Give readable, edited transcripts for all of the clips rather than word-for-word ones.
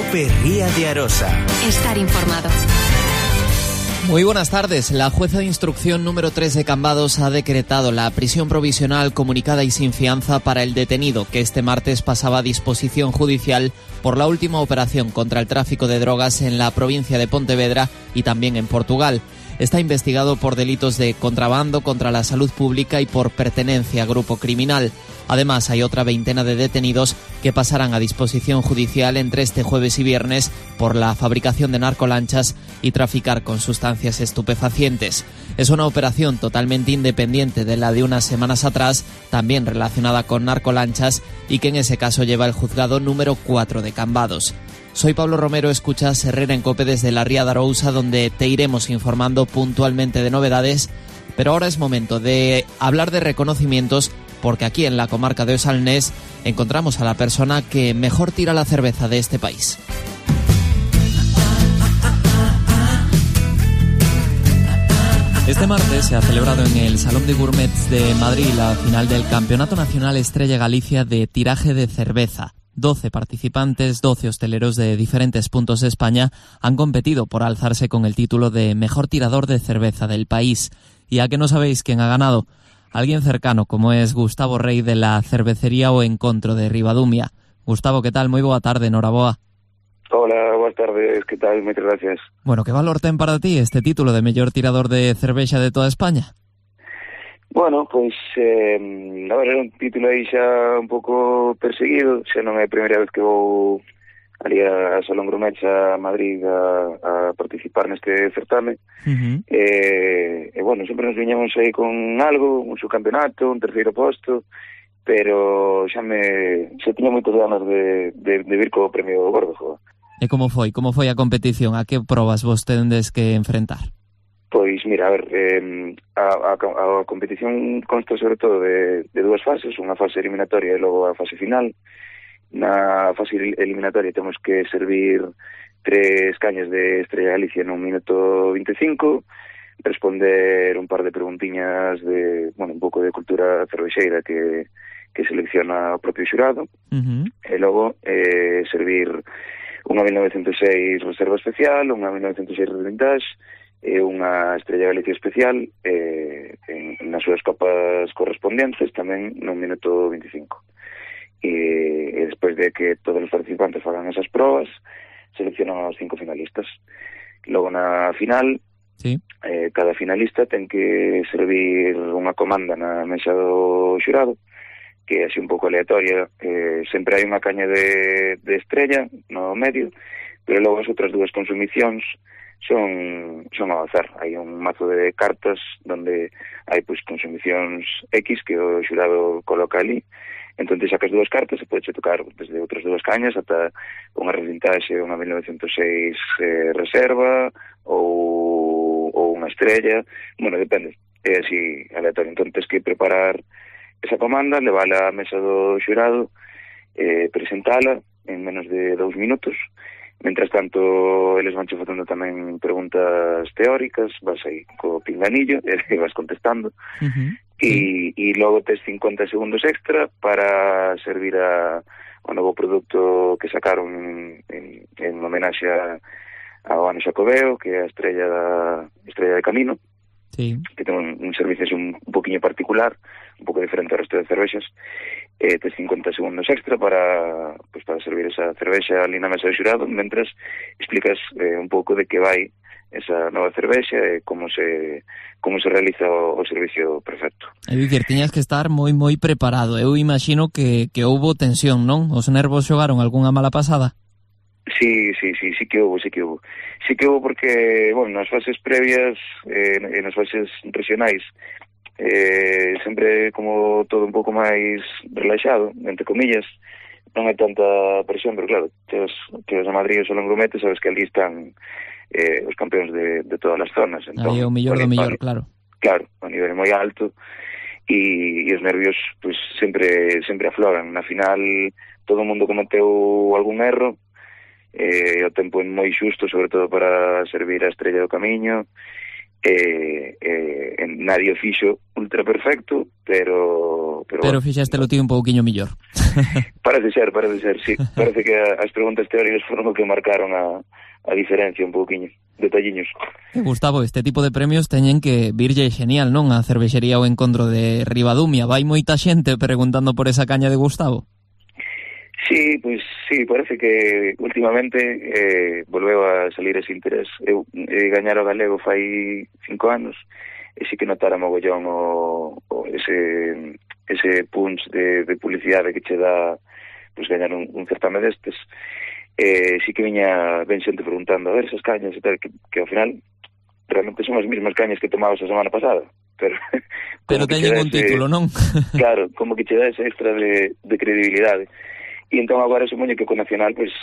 Cope Ría de Arosa. Estar informado. Muy buenas tardes. La jueza de instrucción número 3 de Cambados ha decretado la prisión provisional comunicada y sin fianza para el detenido que este martes pasaba a disposición judicial por la última operación contra el tráfico de drogas en la provincia de Pontevedra y también en Portugal. Está investigado por delitos de contrabando contra la salud pública y por pertenencia a grupo criminal. Además, hay otra veintena de detenidos que pasarán a disposición judicial entre este jueves y viernes por la fabricación de narcolanchas y traficar con sustancias estupefacientes. Es una operación totalmente independiente de la de unas semanas atrás, también relacionada con narcolanchas y que en ese caso lleva el juzgado número 4 de Cambados. Soy Pablo Romero, escuchas Herrera en Cope desde la Ría de Arousa, donde te iremos informando puntualmente de novedades, pero ahora es momento de hablar de reconocimientos, porque aquí en la comarca de Osalnés encontramos a la persona que mejor tira la cerveza de este país. Este martes se ha celebrado en el Salón de Gourmets de Madrid la final del Campeonato Nacional Estrella Galicia de tiraje de cerveza. 12 participantes, 12 hosteleros de diferentes puntos de España han competido por alzarse con el título de mejor tirador de cerveza del país. Y a que no sabéis quién ha ganado, alguien cercano como es Gustavo Rey de la cervecería O Encontro de Ribadumia. Gustavo, ¿qué tal? Moi boa tarde, noraboa. Hola, boas tardes, ¿qué tal? Muchas gracias. Bueno, ¿qué valor ten para ti este título de mellor tirador de cervexa de toda España? Bueno, pois, a ver, era un título aí xa un pouco perseguido, xa non é a primeira vez que vou ali a Salón Gourmets a Madrid a participar neste certame. Bueno, sempre nos viñamos aí con algo, un subcampeonato, un terceiro posto, pero xa tiña moitas ganas de vir co premio gordo, joder. E como foi a competición? A que probas vos tendes que enfrentar? Pois, mira, a ver, a competición consta sobre todo de dúas fases, unha fase eliminatoria e logo a fase final. Na fase eliminatoria temos que servir 3 cañas de Estrella Galicia nun minuto 25, responder un par de preguntiñas de, bueno, un pouco de cultura cervexeira que selecciona o propio xurado, e logo servir unha 1906 reserva especial, unha 1906 vintage e unha Estrella Galicia especial nas súas copas correspondentes tamén nun minuto 25. E despois de que todos os participantes fagan esas probas, seleccionan os 5 finalistas. Logo na final, sí, cada finalista ten que servir unha comanda na mesa do xurado, que é así un pouco aleatoria. Sempre hai unha caña de estrella no medio, pero logo as outras dúas consumicións son ao azar. Hai un mazo de cartas donde hai pois consumicións X que o xurado coloca ali. Entón te sacas 2 cartas e podes tocar desde outras 2 cañas ata unha revintaxe, unha 1906 reserva ou unha estrella. Bueno, depende, é así aleatorio. Entón tens que preparar esa comanda, levala á mesa do xurado, presentala en menos de 2 minutos. Mientras tanto, eles van che facendo tamén preguntas teóricas, vas aí co pinganillo e vas contestando. E logo tes 50 segundos extra para servir ao novo produto que sacaron en homenaxe ao Ano Xacobeo, que é a estrella de Camino, sí, que ten un servicio un poquinho particular, un pouco diferente ao resto de cervexas. Tes 50 segundos extra para servir esa cervexa ali na mesa do xurado, mentras explicas un pouco de que vai esa nova cervexa e como se realiza o servicio perfecto. É dicir, tiñas que estar moi preparado. Eu imagino que houbo tensión, non? Os nervos xogaron algunha mala pasada? Sí que houbo. Sí que houbo porque, bueno, nas fases previas e nas fases regionais sempre como todo un pouco máis relaxado, entre comillas, non hai tanta presión, pero claro, que a Madrid e o Salón Gourmets, sabes que ali están os campeóns de todas as zonas. Entón, aí é o mellor do mellor, claro. Claro, a nivel moi alto, e os nervios pues sempre afloran. Na final todo o mundo cometeu algún erro, o tempo é moi xusto, sobre todo para servir a estrella do camiño. Nadie o fixo ultra perfecto, pero fixaste lo tío un pouquiño mellor. Parece ser, sí. Parece que as preguntas teóricas foron o que marcaron a diferencia un pouquiño, detalliños. Gustavo, este tipo de premios teñen que virlle genial, non? A cervexería O Encontro de Ribadumia. Vai moita xente preguntando por esa caña de Gustavo? Sí, pois sí, parece que últimamente volveu a salir ese interés. Eu gañar o galego fai 5 anos e sí que notara mogollón ese punch de publicidade que che dá pues, gañar un certame destes. Sí que viña ben xente preguntando a ver esas cañas e tal, que ao final realmente son as mesmas cañas que tomabas a semana pasada, pero teñen un título, non? Claro, como que che dá ese extra de credibilidade. E entón agora supoño que co Nacional pues,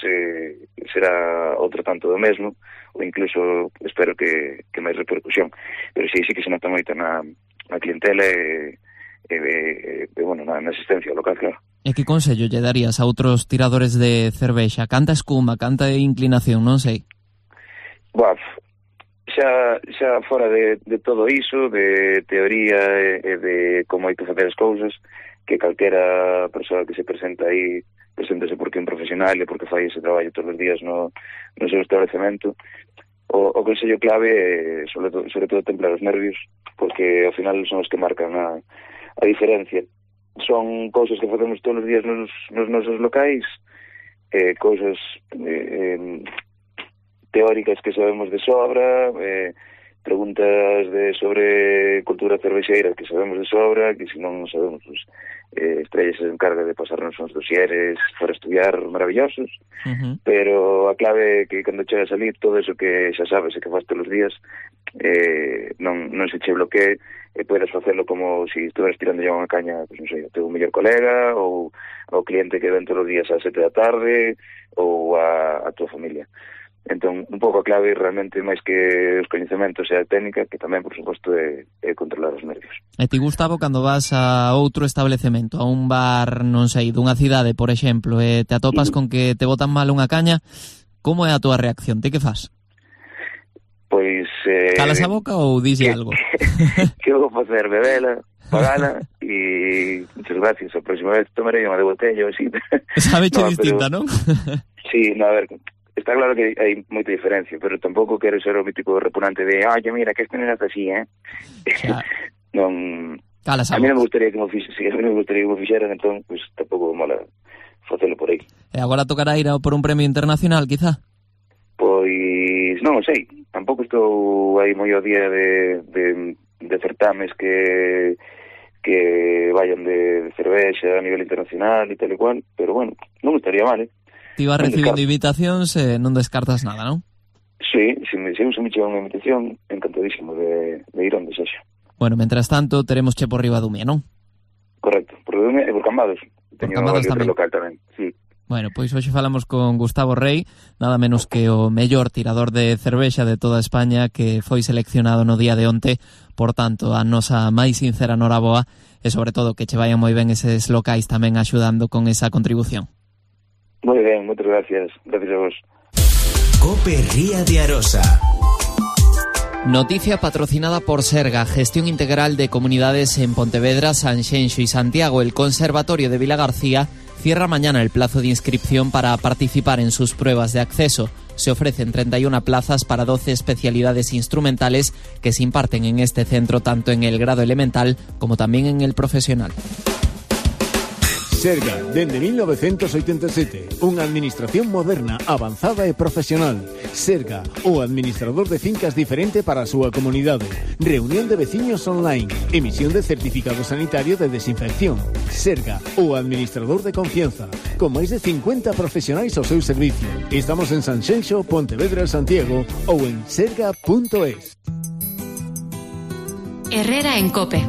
será outro tanto do mesmo, ou incluso espero que máis repercusión, pero sí que se nota moito na clientela bueno, na asistencia local, claro. E que consello lle darías a outros tiradores de cervexa? Canta escuma, canta inclinación, non sei. Buah, xa fora de todo iso, de teoría e de como hai que facer as cousas, que calquera persoa que se presenta aí preséntase porque é un profesional e porque fai ese traballo todos os días no seu establecemento. O consello clave é, sobre todo, templar os nervios, porque ao final son os que marcan a diferencia. Son cousas que facemos todos os días nos nosos locais, cousas teóricas que sabemos de sobra, preguntas sobre cultura cervexeira que sabemos de sobra, que se non sabemos, pues, Estrella se encarga de pasarnos uns dosieres para estudiar maravillosos, pero a clave é que cando chegas a salir todo eso que xa sabes e que faz todos os días non se che bloquee e podes facelo como se estuveras tirando ya unha caña, pues, non sei, o teu mellor colega ou ao cliente que ven todos os días ás 7 da tarde ou a tua familia. Entón, un pouco a clave realmente máis que os coñecementos e a técnica, que tamén, por suposto, é controlar os nervios. E ti, Gustavo, cando vas a outro establecemento, a un bar, non sei, dunha cidade, por exemplo, e te atopas con que te botan mal unha caña, como é a túa reacción? Ti que fas? Pois... calas a boca ou dixe algo? Que vou facer? Bebela, pagala e muchas gracias. A próxima vez tomarei unha de botella ou así. Sabeche distinta, non? Sí, no, a ver... Está claro que hai moita diferencia, pero tampouco quero ser o mítico repugnante de mira, que este non é así, Non... A mí non me gustaría que me fixeran, entón, pues, tampouco mola facelo por aí. E agora tocará ir por un premio internacional, quizá? Pois non sei, tampouco estou aí moi ao día de certames que vayan de cervexa a nivel internacional e tal e cual, pero bueno, non estaría mal, Ti vas recibindo invitacións e non descartas nada, non? Sí, se me chega unha invitación, encantadísimo de ir onde sexa. Bueno, mentras tanto, teremos che por Ribadumia, non? Correcto, por Ribadumia e por Cambados. Teño outro local tamén, sí. Bueno, pois hoxe falamos con Gustavo Rey, nada menos que o mellor tirador de cervexa de toda España, que foi seleccionado no día de onte. Por tanto, a nosa máis sincera noraboa e, sobre todo, que che vayan moi ben eses locais tamén axudando con esa contribución. Moi ben, moitas gracias. Gracias a vos. COPE Ría de Arosa. Noticia patrocinada por Serga, gestión integral de comunidades en Pontevedra, Sanxenxo y Santiago. El Conservatorio de Vilagarcía cierra mañana el plazo de inscripción para participar en sus pruebas de acceso. Se ofrecen 31 plazas para 12 especialidades instrumentales que se imparten en este centro tanto en el grado elemental como también en el profesional. Serga, dende 1987, unha administración moderna, avanzada e profesional. Serga, o administrador de fincas diferente para a súa comunidade. Reunión de veciños online. Emisión de certificado sanitario de desinfección. Serga, o administrador de confianza. Con máis de 50 profesionais ao seu servicio. Estamos en Sanxenxo, Pontevedra, Santiago ou en serga.es. Herrera en COPE.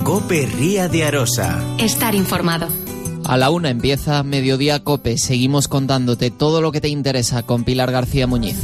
COPE Ría de Arosa. Estar informado. A la 1 empieza Mediodía COPE. Seguimos contándote todo lo que te interesa con Pilar García Muñiz.